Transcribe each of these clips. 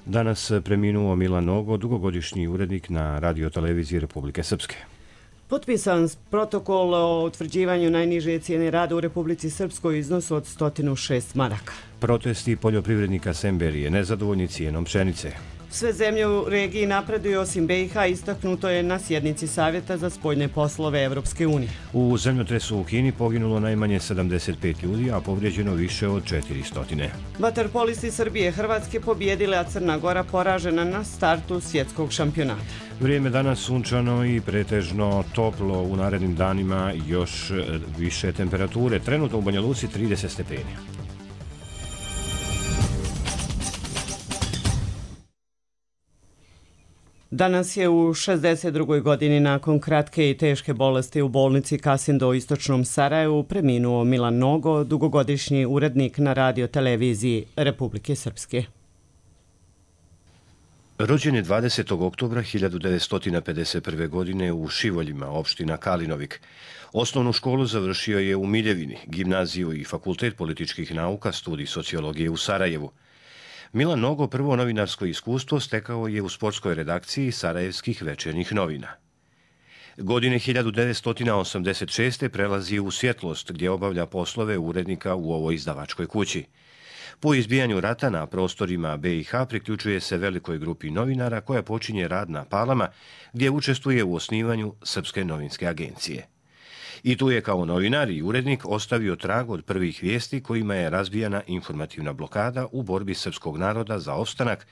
Danas preminuo Milan Nogo, dugogodišnji urednik na radioteleviziji Republike Srpske. Potpisan protokol o utvrđivanju najniže cijene rada u Republici Srpskoj u iznosu od 106 maraka. Protesti poljoprivrednika Semberije, nezadovoljni cijenom pšenice. Sve zemlje u regiji napreduju osim BiH, istaknuto je na sjednici Savjeta za spoljne poslove Evropske unije. U zemljotresu u Kini poginulo najmanje 75 ljudi, a povrijeđeno više od 400. Vaterpolisti Srbije Hrvatske pobijedile, a Crna Gora poražena na startu svjetskog šampionata. Vrijeme danas sunčano i pretežno toplo, u narednim danima još više temperature. Trenutno u Banja Luci 30 stepeni. Danas je u 62. godini nakon kratke i teške bolesti u bolnici Kasindo u istočnom Sarajevu preminuo Milan Nogo, dugogodišnji urednik na radioteleviziji Republike Srpske. Rođen je 20. oktobra 1951. godine u Šivoljima, opština Kalinovik. Osnovnu školu završio je u Miljevini, gimnaziju i fakultet političkih nauka, studij sociologije u Sarajevu. Milan Nogo prvo novinarsko iskustvo stekao je u sportskoj redakciji Sarajevskih večernjih novina. Godine 1986. prelazi u Svjetlost, gdje obavlja poslove urednika u ovoj izdavačkoj kući. Po izbijanju rata na prostorima BiH priključuje se velikoj grupi novinara koja počinje rad na Palama, gdje učestvuje u osnivanju Srpske novinske agencije. I tu je kao novinar i urednik ostavio trag od prvih vijesti kojima je razbijana informativna blokada u borbi srpskog naroda za opstanak,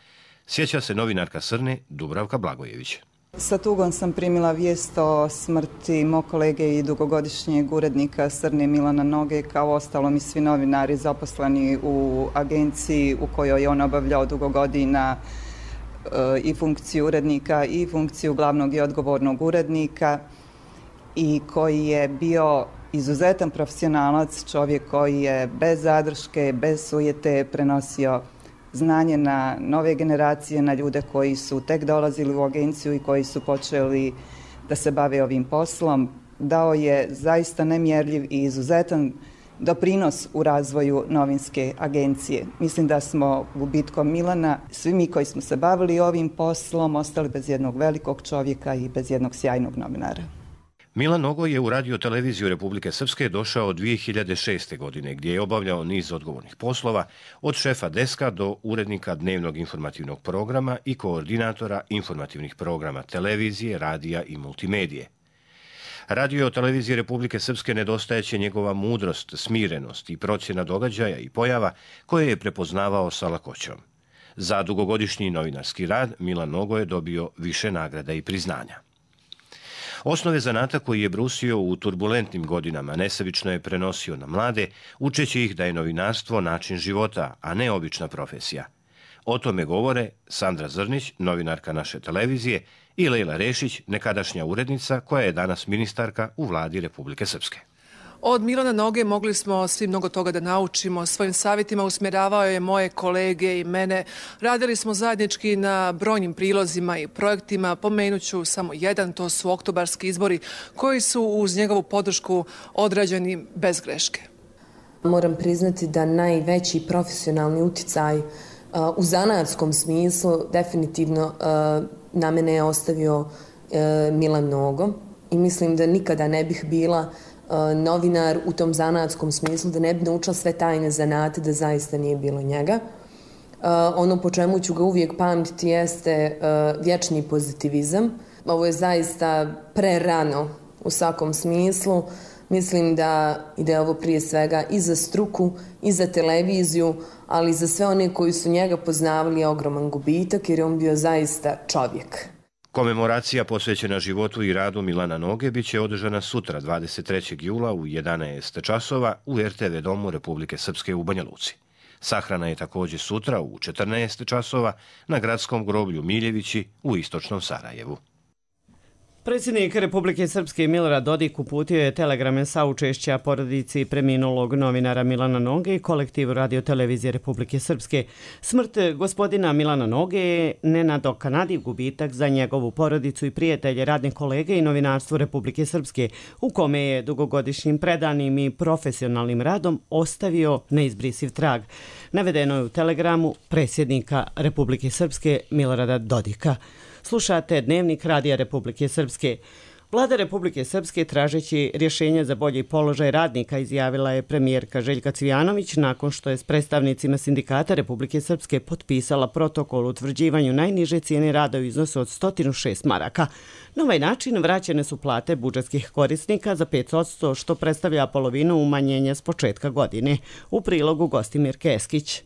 sjeća se novinarka Srne Dubravka Blagojević. Sa tugom sam primila vijest o smrti mog kolege i dugogodišnjeg urednika Srne Milana Noge, kao ostalom i svi novinari zaposleni u agenciji u kojoj je on obavljao dugo godina i funkciju urednika i funkciju glavnog i odgovornog urednika, i koji je bio izuzetan profesionalac, čovjek koji je bez zadrške, bez sujete prenosio znanje na nove generacije, na ljude koji su tek dolazili u agenciju i koji su počeli da se bave ovim poslom. Dao je zaista nemjerljiv i izuzetan doprinos u razvoju novinske agencije. Mislim da smo gubitkom Milana, svi mi koji smo se bavili ovim poslom, ostali bez jednog velikog čovjeka i bez jednog sjajnog novinara. Milan Nogo je u radioteleviziju Republike Srpske došao 2006. godine, gdje je obavljao niz odgovornih poslova, od šefa deska do urednika dnevnog informativnog programa i koordinatora informativnih programa televizije, radija i multimedije. Radio-televiziji Republike Srpske nedostajeće njegova mudrost, smirenost i procjena događaja i pojava koje je prepoznavao sa lakoćom. Za dugogodišnji novinarski rad Milan Nogo je dobio više nagrada i priznanja. Osnove zanata koji je brusio u turbulentnim godinama nesebično je prenosio na mlade, učeći ih da je novinarstvo način života, a ne obična profesija. O tome govore Sandra Zrnić, novinarka naše televizije, i Lejla Rešić, nekadašnja urednica koja je danas ministarka u vladi Republike Srpske. Od Milana Noge mogli smo svi mnogo toga da naučimo. Svojim savjetima usmjeravao je moje kolege i mene. Radili smo zajednički na brojnim prilozima i projektima. Pomenuću samo jedan, to su oktobarski izbori koji su uz njegovu podršku odrađeni bez greške. Moram priznati da najveći profesionalni uticaj u zanatskom smislu definitivno na mene je ostavio Milan Nogo i mislim da nikada ne bih bila novinar u tom zanatskom smislu, da ne bi naučila sve tajne zanate, da zaista nije bilo njega. Ono po čemu ću ga uvijek pamtiti jeste vječni pozitivizam. Ovo je zaista prerano u svakom smislu. Mislim da je ovo prije svega i za struku, i za televiziju, ali i za sve one koji su njega poznavali je ogroman gubitak, jer je on bio zaista čovjek. Komemoracija posvećena životu i radu Milana Noge biće održana sutra, 23. jula u 11 časova u RTV domu Republike Srpske u Banja Luci. Sahrana je također sutra u 14 časova na gradskom groblju Miljevići u istočnom Sarajevu. Predsjednik Republike Srpske Milorad Dodik uputio je telegrame saučešća porodici preminulog novinara Milana Noge i kolektivu radiotelevizije Republike Srpske. Smrt gospodina Milana Noge je nenadoknadiv gubitak za njegovu porodicu i prijatelje, radne kolege i novinarstvo Republike Srpske, u kome je dugogodišnjim predanim i profesionalnim radom ostavio neizbrisiv trag. Navedeno je u telegramu predsjednika Republike Srpske Milorada Dodika. Slušate Dnevnik Radija Republike Srpske. Vlada Republike Srpske, tražeći rješenje za bolji položaj radnika, izjavila je premijerka Željka Cvijanović nakon što je s predstavnicima sindikata Republike Srpske potpisala protokol o utvrđivanju najniže cijene rada u iznosu od 106 maraka. Na ovaj način vraćene su plate budžetskih korisnika za 5%, što predstavlja polovinu umanjenja s početka godine. U prilogu Gostimir Keskić.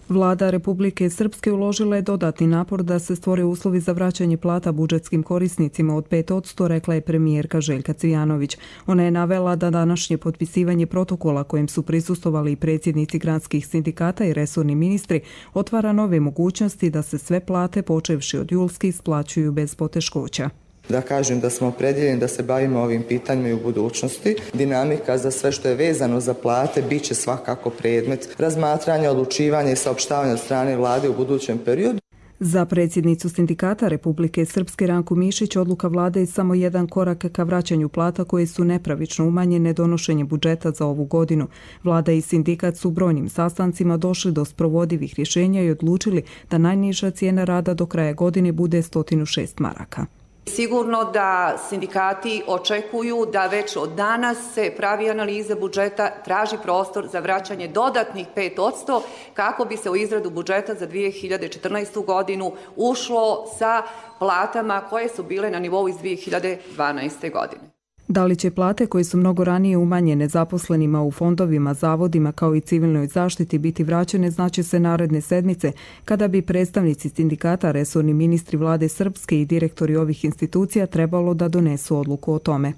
Vlada Republike Srpske uložila je dodatni napor da se stvore uslovi za vraćanje plata budžetskim korisnicima od 5%, rekla je premijerka Željka Cvijanović. Ona je navela da današnje potpisivanje protokola kojem su prisustvovali i predsjednici gradskih sindikata i resorni ministri otvara nove mogućnosti da se sve plate, počevši od julski, isplaćuju bez poteškoća. Da kažem da smo opredjeljeni da se bavimo ovim pitanjima i u budućnosti. Dinamika za sve što je vezano za plate bit će svakako predmet razmatranja, odlučivanja i saopštavanja od strane vlade u budućem periodu. Za predsjednicu sindikata Republike Srpske Ranku Mišić odluka vlade je samo jedan korak ka vraćanju plata koje su nepravično umanjene donošenjem budžeta za ovu godinu. Vlada i sindikat su brojnim sastancima došli do sprovodivih rješenja i odlučili da najniža cijena rada do kraja godine bude 106 maraka. Sigurno da sindikati očekuju da već od danas se pravi analiza budžeta, traži prostor za vraćanje dodatnih 5% kako bi se u izradu budžeta za 2014. godinu ušlo sa platama koje su bile na nivou iz 2012. godine. Da li će plate koje su mnogo ranije umanjene zaposlenima u fondovima, zavodima kao i civilnoj zaštiti biti vraćene, znaće se naredne sedmice, kada bi predstavnici sindikata, resorni ministri vlade Srpske i direktori ovih institucija trebalo da donesu odluku o tome.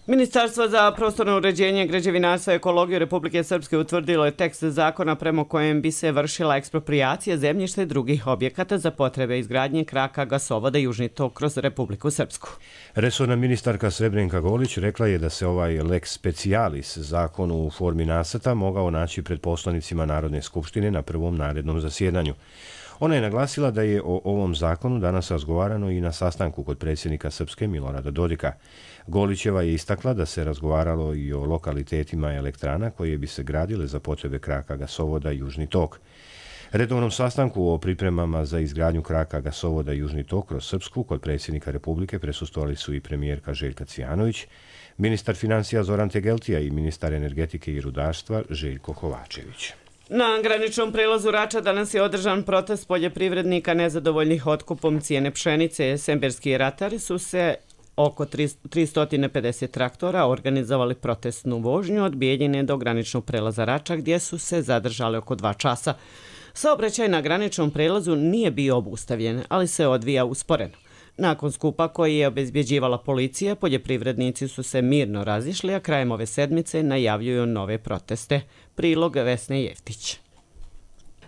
Ministarstvo za prostorno uređenje, građevinarstvo i ekologiju Republike Srpske utvrdilo je tekst zakona prema kojem bi se vršila eksproprijacija zemljišta i drugih objekata za potrebe izgradnje kraka gasovoda Južni tok kroz Republiku Srpsku. Resorna ministarka Srebrenka Golić rekla je da se ovaj lex specialis zakon u formi nacrta mogao naći pred poslanicima Narodne skupštine na prvom narednom zasjedanju. Ona je naglasila da je o ovom zakonu danas razgovarano i na sastanku kod predsjednika Srpske Milorada Dodika. Golićeva je istakla da se razgovaralo i o lokalitetima elektrana koje bi se gradile za potrebe kraka gasovoda Južni tok. Redovnom sastanku o pripremama za izgradnju kraka gasovoda Južni tok kroz Srpsku kod predsjednika Republike prisustvovali su i premijerka Željka Cvijanović, ministar financija Zoran Tegeltija i ministar energetike i rudarstva Željko Kovačević. Na graničnom prelazu Rača danas je održan protest poljoprivrednika nezadovoljnih otkupom cijene pšenice. Semberski ratari su se oko 350 traktora organizovali protestnu vožnju od Bijeljine do graničnog prelaza Rača, gdje su se zadržali oko 2 časa. Saobraćaj na graničnom prelazu nije bio obustavljen, ali se odvija usporeno. Nakon skupa koji je obezbjeđivala policija, poljoprivrednici su se mirno razišli, a krajem ove sedmice najavljuju nove proteste. Prilog Vesne Jeftić.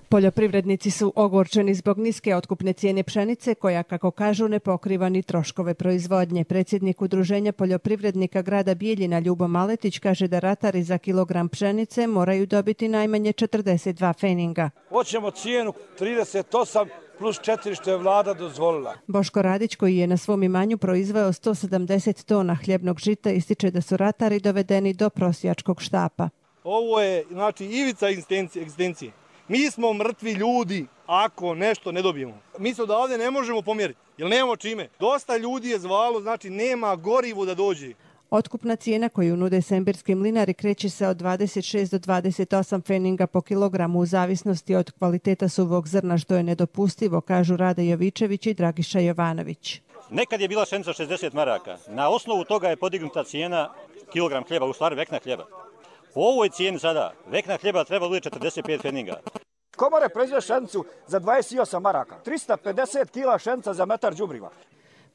Poljoprivrednici su ogorčeni zbog niske otkupne cijene pšenice koja, kako kažu, ne pokriva ni troškove proizvodnje. Predsjednik Udruženja poljoprivrednika grada Bijeljina Ljubo Maletić kaže da ratari za kilogram pšenice moraju dobiti najmanje 42 feninga. Hoćemo cijenu 38 plus 4 što je vlada dozvolila. Boško Radić, koji je na svom imanju proizveo 170 tona hljebnog žita, ističe da su ratari dovedeni do prosjačkog štapa. Ovo je, znači, ivica egzistencije. Mi smo mrtvi ljudi ako nešto ne dobijemo. Mi se odavde ne možemo pomjeriti, jer nemamo čime. Dosta ljudi je zvalo, znači nema gorivo da dođe. Otkupna cijena koju nude sembirski mlinari kreće se od 26 do 28 feninga po kilogramu u zavisnosti od kvaliteta suvog zrna, što je nedopustivo, kažu Rade Jovičević i Dragiša Jovanović. Nekad je bila pšenica 60 maraka. Na osnovu toga je podignuta cijena kilogram hljeba, u stvari vekna hljeba. Po ovoj cijeni sada vekna hljeba treba da bude 45 feninga. Komore proizvode pšenicu za 28 maraka, 350 kila pšenica za metar đubriva.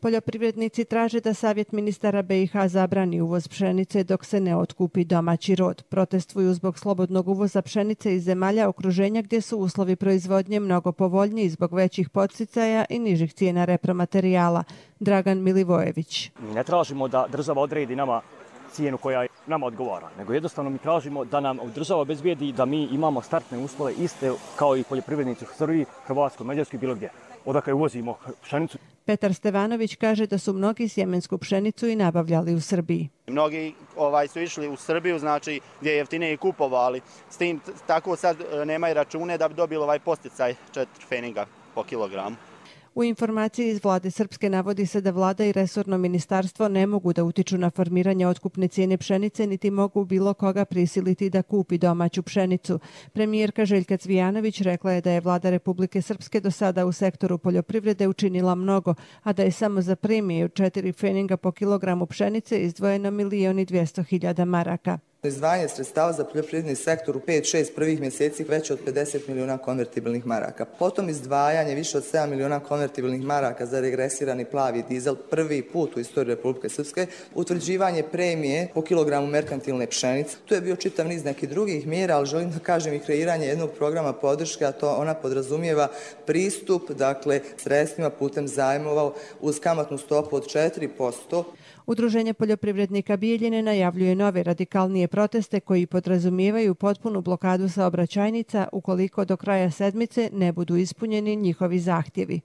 Poljoprivrednici traže da Savjet ministara BiH zabrani uvoz pšenice dok se ne otkupi domaći rod. Protestuju zbog slobodnog uvoza pšenice iz zemalja okruženja gdje su uslovi proizvodnje mnogo povoljniji zbog većih podsticaja i nižih cijena repromaterijala. Dragan Milivojević. Mi ne tražimo da država odredi nama cijenu koja nama odgovara, nego jednostavno mi tražimo da nam država obezbijedi da mi imamo startne uslove iste kao i poljoprivrednici u Srbiji, Hrvatskoj, Mađarskoj, bilo gdje. Odakle uvozimo pšenicu. Petar Stevanović kaže da su mnogi sjemensku pšenicu i nabavljali u Srbiji. Mnogi su išli u Srbiju, znači gdje je jeftinije kupovali. S tim tako sad nemaju račune da bi dobili ovaj posticaj 4 pfeniga po kilogramu. U informaciji iz vlade Srpske navodi se da vlada i resorno ministarstvo ne mogu da utiču na formiranje otkupne cijene pšenice, niti mogu bilo koga prisiliti da kupi domaću pšenicu. Premijerka Željka Cvijanović rekla je da je vlada Republike Srpske do sada u sektoru poljoprivrede učinila mnogo, a da je samo za premiju 4 pfeninga po kilogramu pšenice izdvojeno 1.200.000 maraka. Izdvajanje sredstava za poljoprivredni sektor u 5-6 prvih mjeseci veće od 50 milijuna konvertibilnih maraka. Potom izdvajanje više od 7 milijuna konvertibilnih maraka za regresirani plavi dizel prvi put u istoriji Republike Srpske, utvrđivanje premije po kilogramu merkantilne pšenice. Tu je bio čitav niz nekih drugih mjera, ali želim da kažem i kreiranje jednog programa podrške, a to ona podrazumijeva pristup, dakle, sredstvima putem zajmova uz kamatnu stopu od 4%. Udruženje poljoprivrednika Bijeljine najavljuje nove radikalnije proteste koji podrazumijevaju potpunu blokadu saobraćajnica ukoliko do kraja sedmice ne budu ispunjeni njihovi zahtjevi.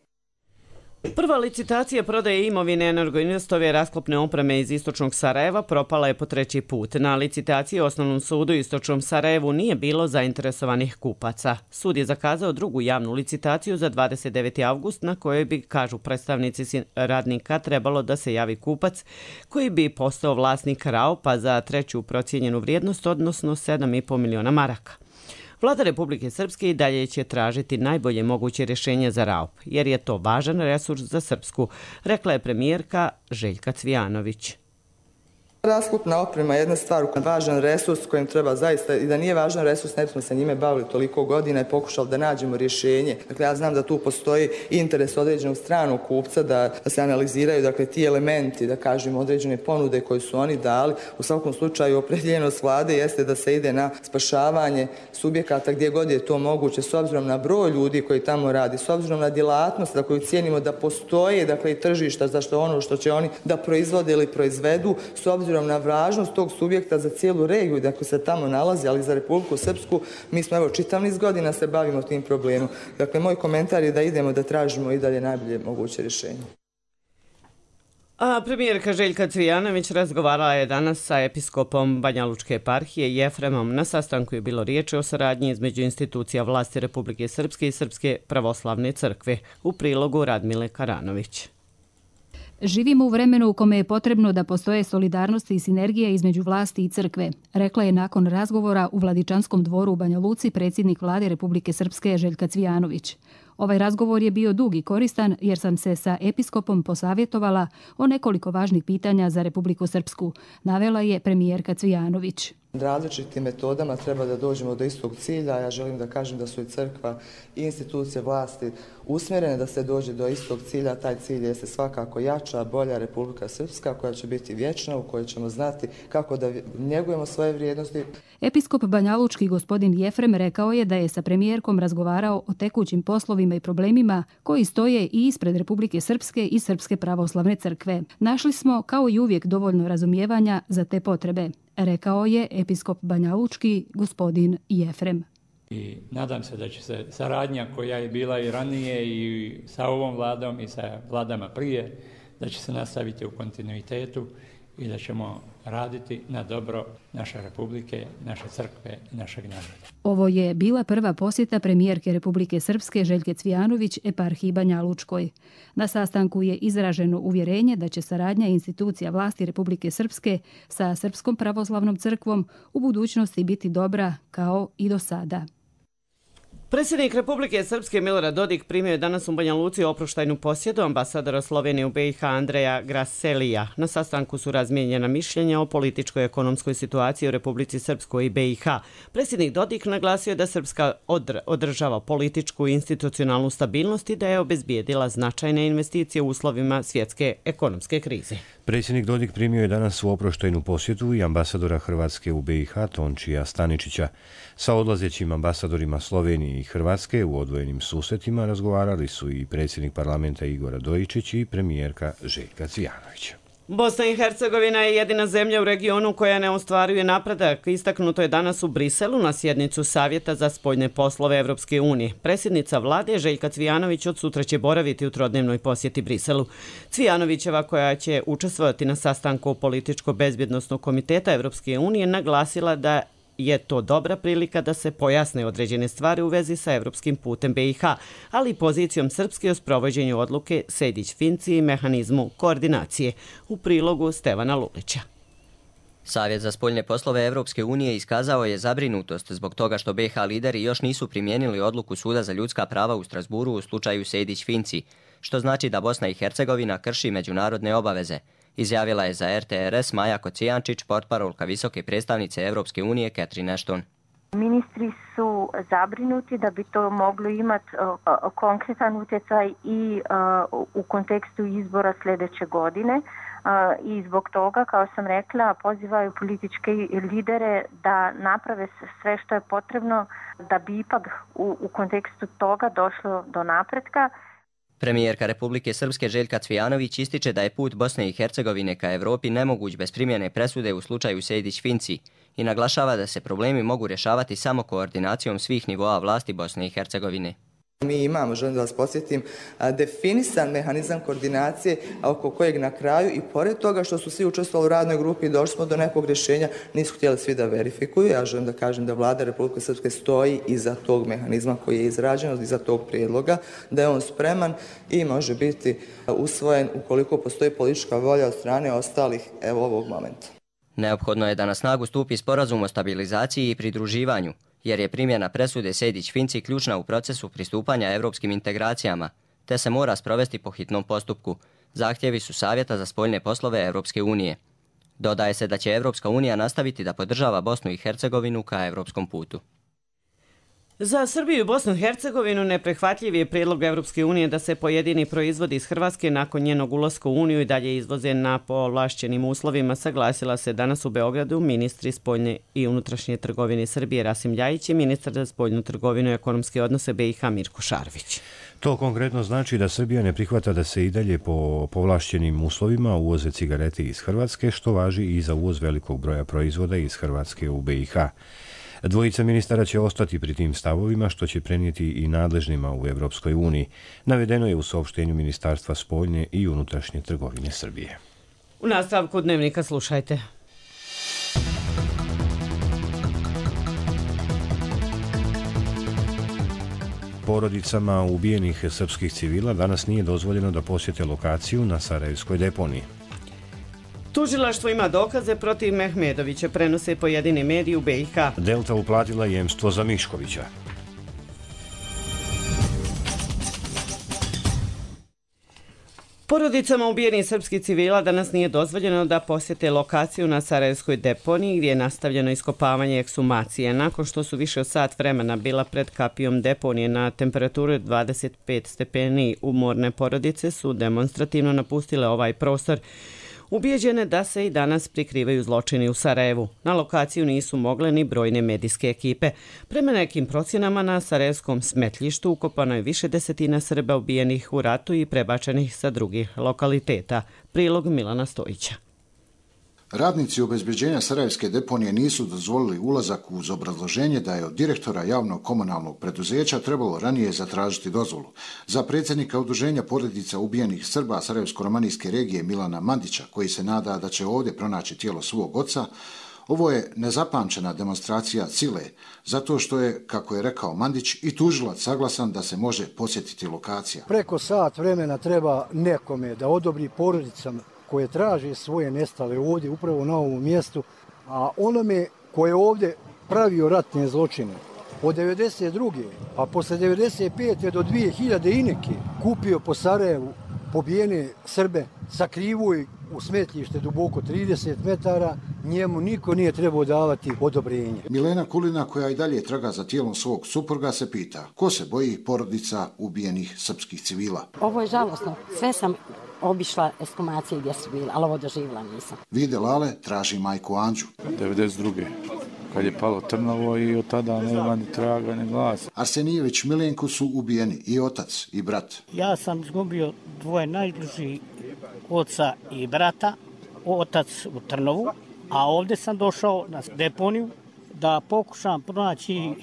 Prva licitacija prodaje imovine Energoinvestove rasklopne opreme iz istočnog Sarajeva propala je po 3. put. Na licitaciji u Osnovnom sudu istočnom Sarajevu nije bilo zainteresovanih kupaca. Sud je zakazao drugu javnu licitaciju za 29. avgust na kojoj bi, kažu predstavnici radnika, trebalo da se javi kupac koji bi postao vlasnik RAOP-a za treću procijenjenu vrijednost, odnosno 7,5 miliona maraka. Vlada Republike Srpske i dalje će tražiti najbolje moguće rješenje za RAOP, jer je to važan resurs za Srpsku, rekla je premijerka Željka Cvijanović. Rasklopna oprema je jedna stvar, važan resurs kojim treba zaista, i da nije važan resurs, ne bismo se njime bavili toliko godina i pokušali da nađemo rješenje. Dakle, ja znam da tu postoji interes određenog stranog kupca da se analiziraju, dakle, ti elementi, da kažemo, određene ponude koje su oni dali. U svakom slučaju, opredjeljenost vlade jeste da se ide na spašavanje subjekata gdje god je to moguće, s obzirom na broj ljudi koji tamo radi, s obzirom na djelatnost za koju cijenimo da postoje, dakle, i tržišta za što ono što će oni da proizvode ili proizvedu, s obzirom na važnost tog subjekta za cijelu regiju, dakle se tamo nalazi, ali za Republiku Srpsku mi smo evo čitav niz godina se bavimo tim problemom. Dakle, moj komentar je da idemo da tražimo i dalje najbolje moguće rješenje. A premijerka Željka Cvijanović razgovarala je danas sa episkopom Banjalučke eparhije Jefremom. Na sastanku je bilo riječi o saradnji između institucija vlasti Republike Srpske i Srpske pravoslavne crkve. U prilogu Radmile Karanović. Živimo u vremenu u kome je potrebno da postoje solidarnost i sinergija između vlasti i crkve, rekla je nakon razgovora u Vladičanskom dvoru u Banja Luci predsjednik vlade Republike Srpske Željka Cvijanović. Ovaj razgovor je bio dug i koristan jer sam se sa episkopom posavjetovala o nekoliko važnih pitanja za Republiku Srpsku, navela je premijerka Cvijanović. Različitim metodama treba da dođemo do istog cilja. Ja želim da kažem da su i crkva i institucije vlasti usmjerene da se dođe do istog cilja. Taj cilj je se svakako jača, bolja Republika Srpska koja će biti vječna, u kojoj ćemo znati kako da njegujemo svoje vrijednosti. Episkop Banjalučki gospodin Jefrem rekao je da je sa premijerkom razgovarao o tekućim poslovima i problemima koji stoje i ispred Republike Srpske i Srpske pravoslavne crkve. Našli smo kao i uvijek dovoljno razumijevanja za te potrebe, rekao je episkop Banjalučki gospodin Jefrem. I nadam se da će se saradnja koja je bila i ranije i sa ovom vladom i sa vladama prije, da će se nastaviti u kontinuitetu i da ćemo raditi na dobro naše republike, naše crkve i našeg naroda. Ovo je bila prva posjeta premijerke Republike Srpske Željke Cvijanović eparhiji Banjalučkoj. Na sastanku je izraženo uvjerenje da će saradnja institucija vlasti Republike Srpske sa Srpskom pravoslavnom crkvom u budućnosti biti dobra kao i do sada. Predsjednik Republike Srpske Milorad Dodik primio je danas u Banja Luci oproštajnu posjedu ambasadora Slovenije u BiH Andreja Graselija. Na sastanku su razmijenjena mišljenja o političkoj i ekonomskoj situaciji u Republici Srpskoj i BiH. Predsjednik Dodik naglasio da Srpska održava političku i institucionalnu stabilnost i da je obezbijedila značajne investicije u uslovima svjetske ekonomske krize. Predsjednik Dodik primio je danas u oproštajnu posjetu i ambasadora Hrvatske u BiH Tončija Staničića. Sa odlazećim ambasadorima Slovenije i Hrvatske u odvojenim susretima razgovarali su i predsjednik parlamenta Igor Radojičić i premijerka Željka Cvijanović. Bosna i Hercegovina je jedina zemlja u regionu koja ne ostvaruje napredak. Istaknuto je danas u Briselu na sjednicu Savjeta za spoljne poslove Evropske unije. Predsjednica vlade Željka Cvijanović od sutra će boraviti u trodnevnoj posjeti Briselu. Cvijanovićeva, koja će učestvovati na sastanku Političko-bezbjednosnog komiteta Evropske unije, naglasila da je to dobra prilika da se pojasne određene stvari u vezi sa evropskim putem BiH, ali i pozicijom Srpske o sprovođenju odluke Sejdić-Finci i mehanizmu koordinacije. U prilogu Stevana Lulića. Savjet za spoljne poslove Evropske unije iskazao je zabrinutost zbog toga što BiH lideri još nisu primijenili odluku Suda za ljudska prava u Strasburu u slučaju Sejdić-Finci, što znači da Bosna i Hercegovina krši međunarodne obaveze, izjavila je za RTRS Maja Kocijančić, portparolka visoke predstavnice Evropske unije Catherine Ashton. Ministri su zabrinuti da bi to moglo imati konkretan utjecaj i u kontekstu izbora sljedeće godine. I zbog toga, kao sam rekla, pozivaju političke lidere da naprave sve što je potrebno da bi ipak u kontekstu toga došlo do napretka. Premijerka Republike Srpske Željka Cvijanović ističe da je put Bosne i Hercegovine ka Evropi nemoguć bez primjene presude u slučaju Sejdić-Finci i naglašava da se problemi mogu rješavati samo koordinacijom svih nivoa vlasti Bosne i Hercegovine. Mi imamo, želim da vas podsjetim, definisan mehanizam koordinacije oko kojeg na kraju i pored toga što su svi učestvovali u radnoj grupi i došli smo do nekog rješenja, nisu htjeli svi da verifikuju. Ja želim da kažem da vlada Republike Srpske stoji iza tog mehanizma koji je izrađen, iza tog prijedloga, da je on spreman i može biti usvojen ukoliko postoji politička volja od strane ostalih ovog momenta. Neophodno je da na snagu stupi sporazum o stabilizaciji i pridruživanju, jer je primjena presude Sejdić-Finci ključna u procesu pristupanja evropskim integracijama, te se mora sprovesti po hitnom postupku. Zahtjevi su Savjeta za spoljne poslove Evropske unije. Dodaje se da će Evropska unija nastaviti da podržava Bosnu i Hercegovinu ka evropskom putu. Za Srbiju i Bosnu i Hercegovinu neprihvatljiv je prijedlog Evropske unije da se pojedini proizvodi iz Hrvatske nakon njenog ulaska u Uniju i dalje izvoze na povlašćenim uslovima, saglasila se danas u Beogradu ministri spoljne i unutrašnje trgovine Srbije Rasim Ljajić i ministar za spoljnu trgovinu i ekonomske odnose BiH Mirko Šarović. To konkretno znači da Srbija ne prihvata da se i dalje po povlašćenim uslovima uvoze cigarete iz Hrvatske, što važi i za uvoz velikog broja proizvoda iz Hrvatske u BiH. Dvojica ministara će ostati pri tim stavovima, što će prenijeti i nadležnima u Evropskoj uniji. Navedeno je u saopštenju Ministarstva spoljne i unutrašnje trgovine Srbije. U nastavku dnevnika slušajte. Porodicama ubijenih srpskih civila danas nije dozvoljeno da posjete lokaciju na Sarajevskoj deponiji. Tužilaštvo ima dokaze protiv Mehmedovića, prenose pojedini mediji u BiH. Delta uplatila jemstvo za Miškovića. Porodicama ubijenih srpskih civila danas nije dozvoljeno da posjete lokaciju na Sarajevskoj deponiji gdje je nastavljeno iskopavanje ekshumacije. Nakon što su više od sat vremena bila pred kapijom deponije na temperaturu 25 stepeni, umorne porodice su demonstrativno napustile ovaj prostor, ubijeđene da se i danas prikrivaju zločini u Sarajevu. Na lokaciju nisu mogle ni brojne medijske ekipe. Prema nekim procjenama na Sarajevskom smetljištu ukopano je više desetina Srba ubijenih u ratu i prebačenih sa drugih lokaliteta. Prilog Milana Stojića. Radnici obezbeđenja Sarajevske deponije nisu dozvolili ulazak uz obrazloženje da je od direktora javnog komunalnog preduzeća trebalo ranije zatražiti dozvolu. Za predsjednika udruženja porodica ubijenih Srba Sarajevsko-romanijske regije Milana Mandića, koji se nada da će ovdje pronaći tijelo svog oca, ovo je nezapamćena demonstracija sile, zato što je, kako je rekao Mandić, i tužilac saglasan da se može posjetiti lokacija. Preko sat vremena treba nekome da odobri porodicama koje traže svoje nestale ovdje, upravo na ovom mjestu, a onome koje je ovdje pravio ratne zločine, od 92. pa posle 95. do 2000 i neke kupio po Sarajevu pobijene Srbe, sakrivuo ih u smetlište duboko 30 metara, njemu niko nije trebao davati odobrenje. Milena Kulina, koja i dalje traga za tijelom svog supruga, se pita ko se boji porodica ubijenih srpskih civila. Ovo je žalosno. Sve sam obišla ekshumacije gdje su bile, ali ovo doživjela nisam. Vide Lale traži majku Anđu. 92. kad je palo Trnovo i od tada nema ni traga ni glasa. Arsenijević Milenko su ubijeni i otac i brat. Ja sam izgubio dvoje najbliži, oca i brata, otac u Trnovu, a ovdje sam došao na deponiju da pokušam pronaći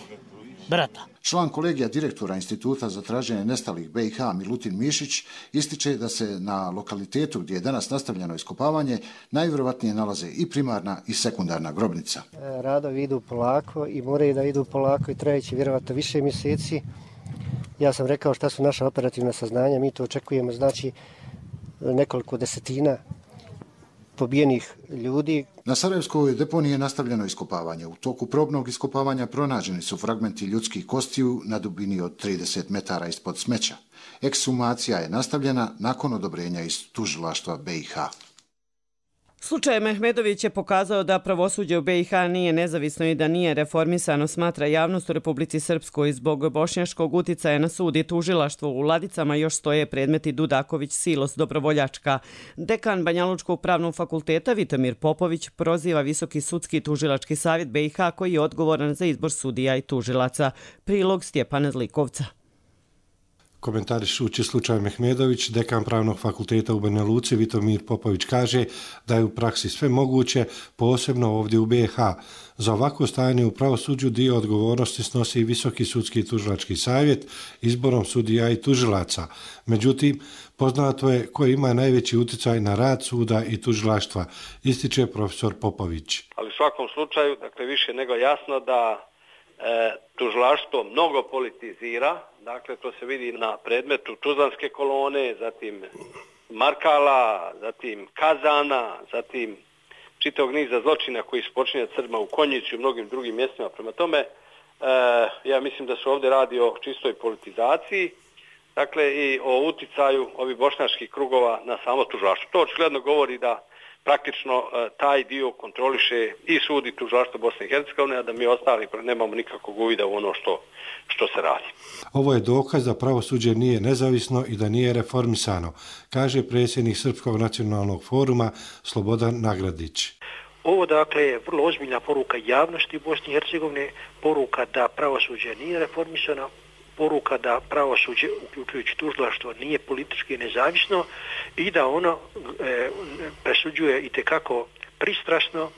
brata. Član kolegija direktora Instituta za traženje nestalih BiH Milutin Mišić ističe da se na lokalitetu gdje je danas nastavljeno iskopavanje najvjerovatnije nalaze i primarna i sekundarna grobnica. Radovi idu polako i moraju da idu polako i trajeći vjerovatno više mjeseci. Ja sam rekao šta su naša operativna saznanja, mi to očekujemo znači nekoliko desetina pobijenih ljudi. Na Sarajevskoj deponiji je nastavljeno iskopavanje. U toku probnog iskopavanja pronađeni su fragmenti ljudskih kostiju na dubini od 30 metara ispod smeća. Ekshumacija je nastavljena nakon odobrenja iz tužilaštva BiH. Slučaj Mehmedović je pokazao da pravosuđe u BiH nije nezavisno i da nije reformisano, smatra javnost u Republici Srpskoj. Zbog bošnjaškog uticaja na sud i tužilaštvo u ladicama još stoje predmeti Dudaković, Silos, Dobrovoljačka. Dekan Banjalučkog pravnog fakulteta Vitomir Popović proziva Visoki sudski tužilački savjet BiH koji je odgovoran za izbor sudija i tužilaca. Prilog Stjepana Zlikovca. Komentarišući slučaj Mehmedović, dekan pravnog fakulteta u Banja Luci Vitomir Popović kaže da je u praksi sve moguće, posebno ovdje u BiH. Za ovako stajanje u pravosuđu dio odgovornosti snosi i Visoki sudski tužilački savjet izborom sudija i tužilaca. Međutim, poznato je ko ima najveći utjecaj na rad suda i tužilaštva, ističe profesor Popović. Ali u svakom slučaju, dakle, više nego jasno da tužilaštvo mnogo politizira, dakle to se vidi na predmetu Tuzlanske kolone, zatim Markala, zatim Kazana, zatim čitavog niza zločina koji su počinjeni Srbima u Konjici i u mnogim drugim mjestima. Prema tome, ja mislim da se ovdje radi o čistoj politizaciji, dakle i o uticaju ovih bošnjačkih krugova na samo tužilaštvo. To očigledno govori da praktično taj dio kontroliše i sud i tužilaštvo Bosne i Hercegovine, a da mi ostali nemamo nikakvog uvida u ono što se radi. Ovo je dokaz da pravosuđe nije nezavisno i da nije reformisano, kaže predsjednik Srpskog nacionalnog foruma Slobodan Nagradić. Ovo dakle je vrlo ozbiljna poruka javnosti u Bosni i Hercegovine, poruka da pravosuđe nije reformisano, poruka da pravosuđe, uključujući tužilaštvo, nije politički nezavisno i da ono presuđuje itekako pristrasno,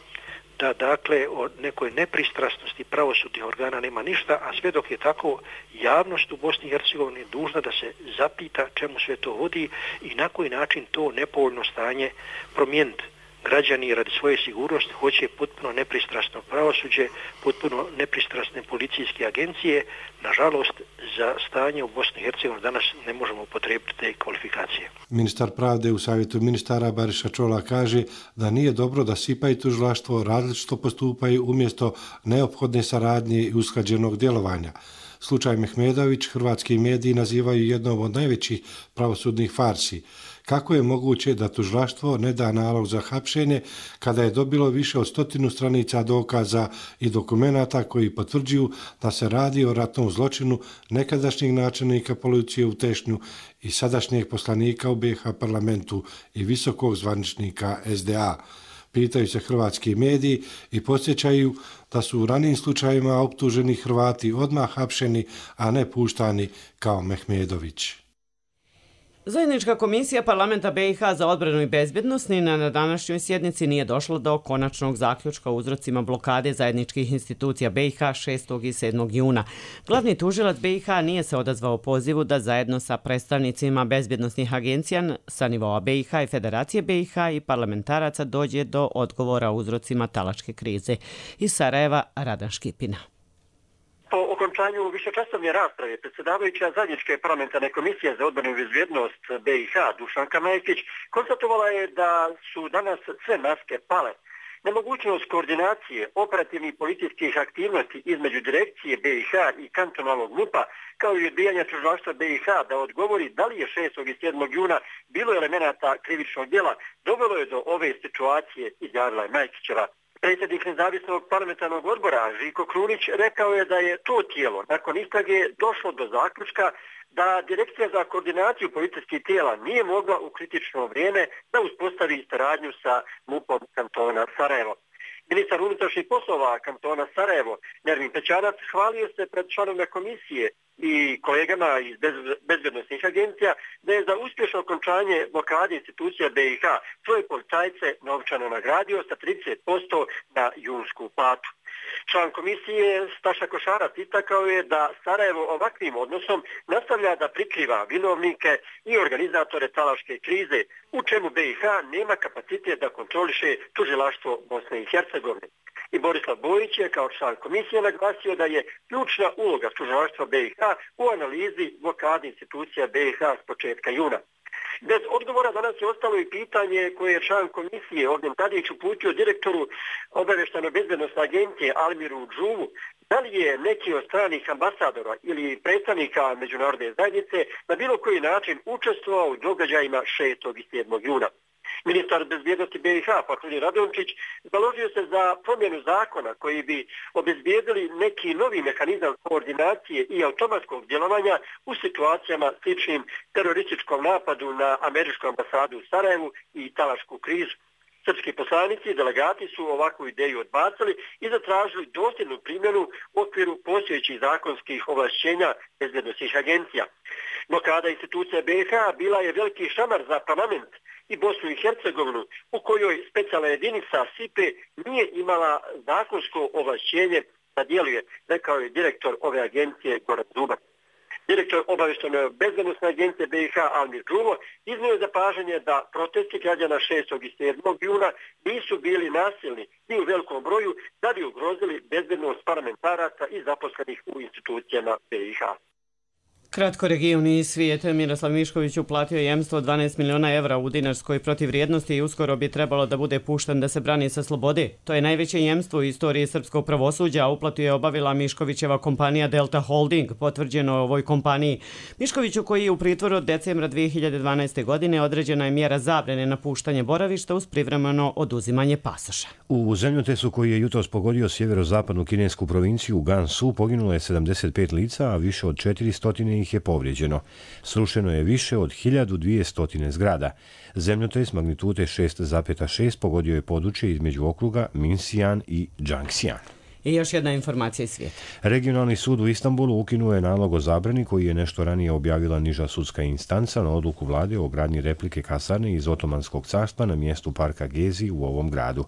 da dakle o nekoj nepristrasnosti pravosudnih organa nema ništa, a sve dok je tako, javnost u Bosni i Hercegovini dužna da se zapita čemu sve to vodi i na koji način to nepovoljno stanje promijeniti. Građani radi svoje sigurnosti hoće potpuno nepristrasno pravosuđe, potpuno nepristrasne policijske agencije. Nažalost, za stanje u Bosni i Hercegovini danas ne možemo upotrijebiti te kvalifikacije. Ministar pravde u savjetu ministara Bariša Čola kaže da nije dobro da SIPA i tužilaštvo različito postupaju umjesto neophodne saradnje i usklađenog djelovanja. Slučaj Mehmedović hrvatski mediji nazivaju jednom od najvećih pravosudnih farsi. Kako je moguće da tužilaštvo ne da nalog za hapšenje kada je dobilo više od 100 stranica dokaza i dokumenata koji potvrđuju da se radi o ratnom zločinu nekadašnjeg načelnika policije u Tešnju i sadašnjeg poslanika u BiH parlamentu i visokog zvaničnika SDA. Pitaju se hrvatski mediji i podsjećaju da su u ranijim slučajima optuženi Hrvati odmah hapšeni, a ne puštani kao Mehmedović. Zajednička komisija parlamenta BiH za odbranu i bezbjednost ni na današnjoj sjednici nije došla do konačnog zaključka o uzrocima blokade zajedničkih institucija BiH 6. i 7. juna. Glavni tužilac BiH nije se odazvao pozivu da zajedno sa predstavnicima bezbjednosnih agencija sa nivoa BiH i Federacije BiH i parlamentaraca dođe do odgovora o uzrocima talačke krize. Iz Sarajeva, Radan Škipina. Po okončanju višečasovne rasprave predsjedavajuća zajedničke parlamentarne komisije za odbranu i bezbjednost BiH Dušanka Majekić konstatovala je da su danas sve maske pale Nemogućnost koordinacije operativnih policijskih aktivnosti između direkcije BiH i kantonalnog MUP-a, kao i odbijanja tužilaštva BiH da odgovori da li je 6. i 7. juna bilo elemenata krivičnog djela, dovelo je do ove situacije, izjavila je Majkićeva. Predsjednik nezavisnog parlamentarnog odbora Žiko Krunić rekao je da je to tijelo nakon istrage došlo do zaključka da Direkcija za koordinaciju policijskih tijela nije mogla u kritično vrijeme da uspostavi saradnju sa MUP-om kantona Sarajevo. Ministar unutrašnjih poslova kantona Sarajevo, Nermin Pećanac, hvalio se pred članovima komisije i kolegama iz bezbednosnih agencija da je za uspješno okončanje blokade institucija BiH svoje policajce novčano nagradio sa 30% na junsku platu. Član komisije Staša Košarac istakao je da Sarajevo ovakvim odnosom nastavlja da prikriva vinovnike i organizatore talaške krize, u čemu BiH nema kapacitet da kontroliše tužilaštvo Bosne i Hercegovine. I Borislav Bojić je kao član komisije naglasio da je ključna uloga tužilaštva BiH u analizi blokade institucija BiH s početka juna. Bez odgovora danas je ostalo i pitanje koje je član komisije Ognjen Tadić uputio direktoru obavještajno-bezbednosne agencije Almiru Džuvu, da li je neki od stranih ambasadora ili predstavnika međunarodne zajednice na bilo koji način učestvovao u događajima 6. i 7. juna. Ministar bezbjednosti BiH, Fahrudin Radončić, založio se za promjenu zakona koji bi obezbijedili neki novi mehanizam koordinacije i automatskog djelovanja u situacijama sličnim terorističkom napadu na američku ambasadu u Sarajevu i talašku krizu. Srpski poslanici i delegati su ovakvu ideju odbacili i zatražili dosljednu primjenu u okviru postojećih zakonskih ovlašćenja bezbjednosnih agencija. Blokada institucija BiH bila je veliki šamar za parlament i Bosnu i Hercegovinu, u kojoj specijalna jedinica SIPE nije imala zakonsko ovlašćenje da djeluje, rekao je direktor ove agencije Goran Zubac. Direktor obavještajne bezbednosne agencije BiH Almir Džuvo iznio je zapažanje da protesti građana 6. i 7. juna nisu bili nasilni ni u velikom broju da bi ugrozili bezbednost parlamentaraca i zaposlenih u institucijama BiH. Kratko regioni svijet. Miroslav Mišković uplatio jemstvo 12 miliona evra u dinarskoj protivrijednosti i uskoro bi trebalo da bude pušten da se brani sa slobode. To je najveće jemstvo u istoriji srpskog pravosuđa, a uplatu je obavila Miškovićeva kompanija Delta Holding, potvrđeno o ovoj kompaniji. Miškoviću, koji je u pritvoru od decembra 2012. godine, određena je mjera zabrane na puštanje boravišta uz privremeno oduzimanje pasoša. U zemljotresu koji je jutros pogodio sjeverozapadnu kinesku provinciju Gansu poginulo je 75 lica, a više od 400 ih je povrijeđeno. Srušeno je više od 1200 zgrada. Zemljotres magnitude 6,6 pogodio je područje između okruga Minsijan i Džangsijan. I još jedna informacija iz svijeta. Regionalni sud u Istanbulu ukinuo je nalog o zabrani koji je nešto ranije objavila niža sudska instanca na odluku vlade o gradnji replike kasarne iz Otomanskog carstva na mjestu parka Gezi u ovom gradu.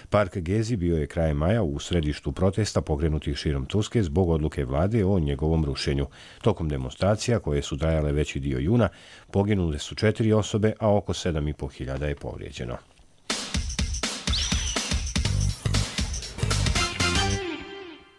Park Gezi bio je krajem maja u središtu protesta pokrenutih širom Turske zbog odluke vlade o njegovom rušenju. Tokom demonstracija, koje su trajale veći dio juna, poginule su 4 osobe, a oko 7.500 je povrijeđeno.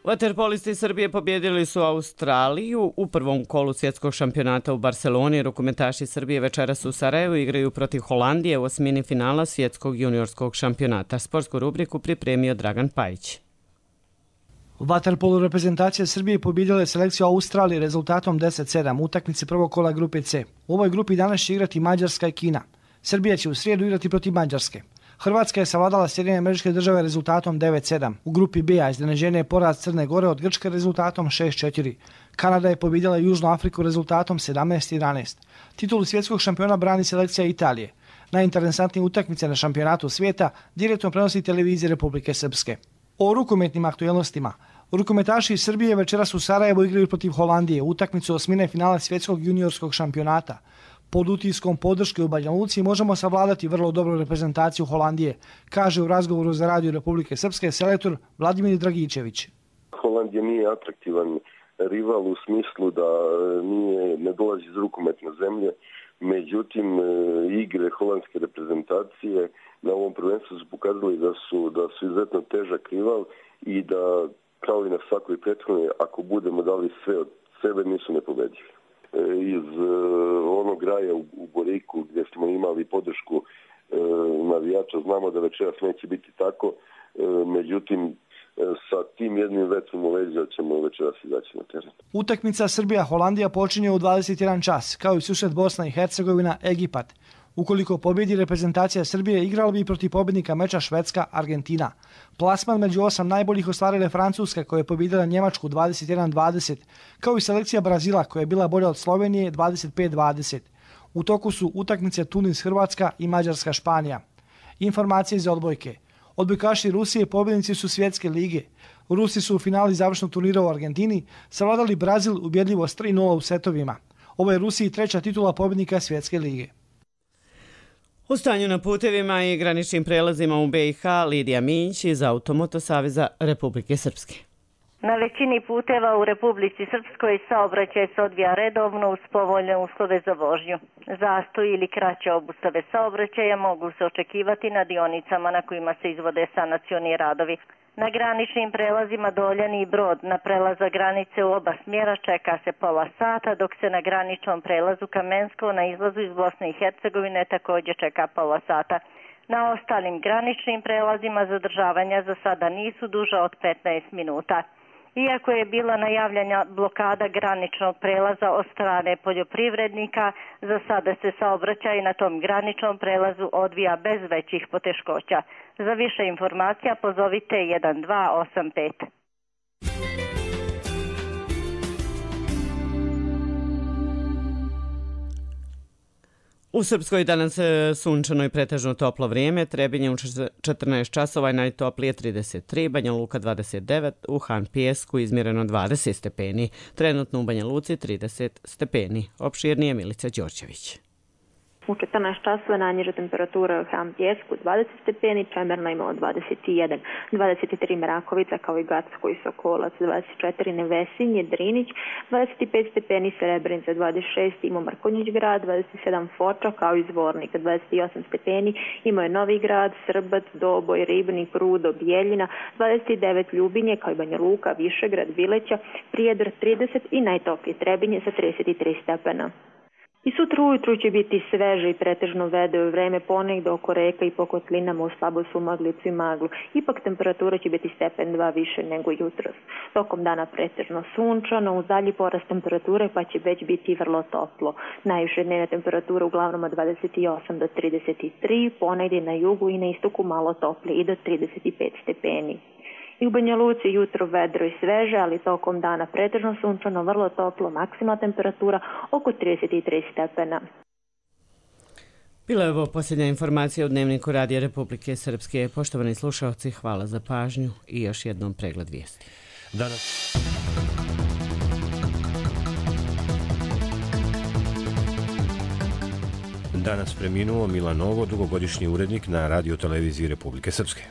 Vaterpolisti Srbije pobjedili su Australiju u prvom kolu svjetskog šampionata u Barceloni. Rukometaši Srbije večeras u Sarajevu igraju protiv Holandije u osmini finala svjetskog juniorskog šampionata. Sportsku rubriku pripremio Dragan Pajić. U vaterpolu reprezentacija Srbije pobjedila je selekciju Australije rezultatom 10-7 u utakmici prvog kola grupe C. U ovoj grupi danas će igrati Mađarska i Kina. Srbija će u srijedu igrati protiv Mađarske. Hrvatska je savladala Sjedinjene Američke Države rezultatom 9-7. U grupi B iznenađenje je poraz Crne Gore od Grčke rezultatom 6-4. Kanada je pobjedila Južnu Afriku rezultatom 17-11. Titulu svjetskog šampiona brani selekcija Italije. Najinteresantnije utakmice na šampionatu svijeta direktno prenosi televizija Republike Srpske. O rukometnim aktualnostima. Rukometaši iz Srbije večeras u Sarajevu igraju protiv Holandije u utakmicu osmine finala svjetskog juniorskog šampionata. Pod utiskom podrške u Banja Luci možemo savladati vrlo dobru reprezentaciju Holandije, kaže u razgovoru za Radio Republike Srpske selektor Vladimir Dragičević. Holandija nije atraktivan rival u smislu da ne dolazi iz rukometne zemlje, međutim igre holandske reprezentacije na ovom prvenstvu su pokazali da su izuzetno težak rival i da kao i na svakoj prethodnoj, ako budemo dali sve od sebe, nisu nepobedivi. Iz onog raja u Boriku gdje smo imali podršku navijača, znamo da večeras neće biti tako. međutim sa tim jednim vetrom u leđa ćemo večeras izaći na teren. Utakmica Srbija-Holandija počinje u 21 čas, kao i susret Bosna i Hercegovina-Egipat. Ukoliko pobjedi reprezentacija Srbije, igrala bi protiv pobjednika meča Švedska-Argentina. Plasman među 8 najboljih ostvarile Francuska, koja je pobjedila Njemačku 21-20, kao i selekcija Brazila, koja je bila bolja od Slovenije 25-20. U toku su utakmice Tunis-Hrvatska i Mađarska-Španija. Informacije iz odbojke. Odbojkaši Rusije pobjednici su svjetske lige. Rusi su u finali završnog turnira u Argentini savladali Brazil ubjedljivo s 3-0 u setovima. Ovo je Rusiji treća titula pobjednika svjetske lige. U stanju na putevima i graničnim prelazima u BiH, Lidija Minć iz Automoto Saveza Republike Srpske. Na većini puteva u Republici Srpskoj saobraćaj se odvija redovno uz povoljne uslove za vožnju. Zastoj ili kraće obustave saobraćaja mogu se očekivati na dionicama na kojima se izvode sanacioni radovi. Na graničnim prelazima Doljani i Brod na prelaza granice u oba smjera čeka se pola sata, dok se na graničnom prelazu Kamensko na izlazu iz Bosne i Hercegovine također čeka pola sata. Na ostalim graničnim prelazima zadržavanja za sada nisu duža od 15 minuta. Iako je bila najavljena blokada graničnog prelaza od strane poljoprivrednika, za sada se saobraćaj na tom graničnom prelazu odvija bez većih poteškoća. Za više informacija pozovite 1285. U Srpskoj danas sunčano i pretežno toplo vrijeme, Trebinje u 14 časova i najtoplije 33, Banja Luka 29, u Han Pijesku izmjereno 20 stepeni, trenutno u Banja Luci 30 stepeni. Opširnije Milica Đorđević. U 14 časova najniža temperatura u Han Pijesku 20 stepeni, Čemerna imala 21, 23 Merakovica kao i Gacko i Sokolac, 24 Nevesinje, Drinić, 25 stepeni Srebrenica, 26 ima Mrkonjić grad, 27 Foča kao i Zvornika, 28 stepeni ima je Novi grad, Srbac, Doboj, Ribnik, Rudo, Bijeljina, 29 Ljubinje kao i Banja Luka, Višegrad, Vileća, Prijedor 30 i najtoplije Trebinje sa 33 stepena. I sutra ujutru će biti sveže i pretežno vedro vreme, ponegde oko reka i po kotlinama u slabo sumaglicu i maglu. Ipak temperatura će biti stepen 2 više nego jutros. Tokom dana pretežno sunčano, uz dalji porast temperature pa će već biti vrlo toplo. Najviše dnevna temperatura uglavnom od 28 do 33, ponegde na jugu i na istoku malo toplije i do 35 stepeni. I u Banja Luci jutro vedro i sveže, ali tokom dana pretežno sunčano, vrlo toplo, maksimalna temperatura oko 33 stepena. Bila je ovo posljednja informacija u Dnevniku Radija Republike Srpske. Poštovani slušalci, hvala za pažnju i još jednom pregled vijesti. Danas preminuo Milan Nogo, dugogodišnji urednik na radioteleviziji Republike Srpske.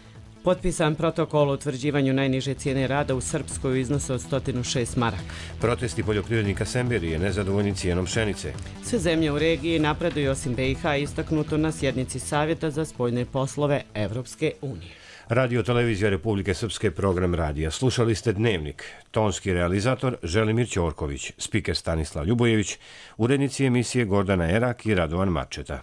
Potpisan protokol o utvrđivanju najniže cijene rada u Srpskoj u iznosu od 106 maraka. Protesti poljoprivrednika Semberije nezadovoljni cijenom pšenice. Sve zemlje u regiji napreduju osim BiH, istaknuto na sjednici Savjeta za spoljne poslove Evropske unije. Radio-televizija Republike Srpske, program radija. Slušali ste Dnevnik. Tonski realizator Želimir Ćorković, spiker Stanislav Ljubojević, urednici emisije Gordana Erak i Radovan Marčeta.